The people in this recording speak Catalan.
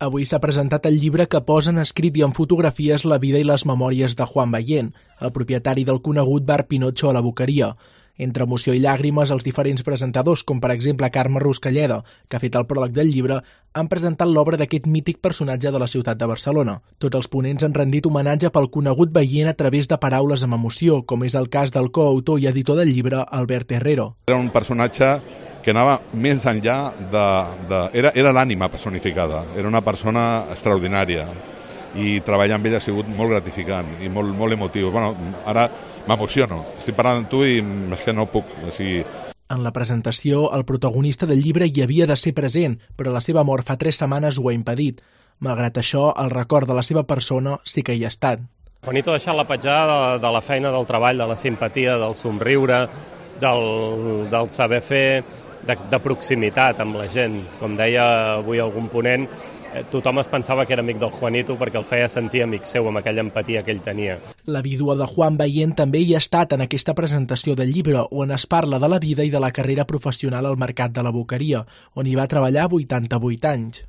Avui s'ha presentat el llibre que posa en escrit i en fotografies la vida i les memòries de Juan Ballén, el propietari del conegut bar Pinocho a la Boqueria. Entre emoció i llàgrimes, els diferents presentadors, com per exemple Carme Ruscalleda, que ha fet el pròleg del llibre, han presentat l'obra d'aquest mític personatge de la ciutat de Barcelona. Tots els ponents han rendit homenatge pel conegut Ballén a través de paraules amb emoció, com és el cas del coautor i editor del llibre, Albert Herrero. Era un personatge que anava més enllà era l'ànima personificada, era una persona extraordinària i treballar amb ell ha sigut molt gratificant i molt emotiu. Bueno, ara m'emociono, estic parlant amb tu i és que no puc. En la presentació, el protagonista del llibre hi havia de ser present, però la seva mort fa 3 setmanes ho ha impedit. Malgrat això, el record de la seva persona sí que hi ha estat. Juanito ha deixat la petjada de la feina, del treball, de la simpatia, del somriure, del saber fer, de proximitat amb la gent. Com deia avui algun ponent, tothom es pensava que era amic del Juanito perquè el feia sentir amic seu amb aquella empatia que ell tenia. La vídua de Juan Ballén també hi ha estat en aquesta presentació del llibre, on es parla de la vida i de la carrera professional al mercat de la Boqueria, on hi va treballar 88 anys.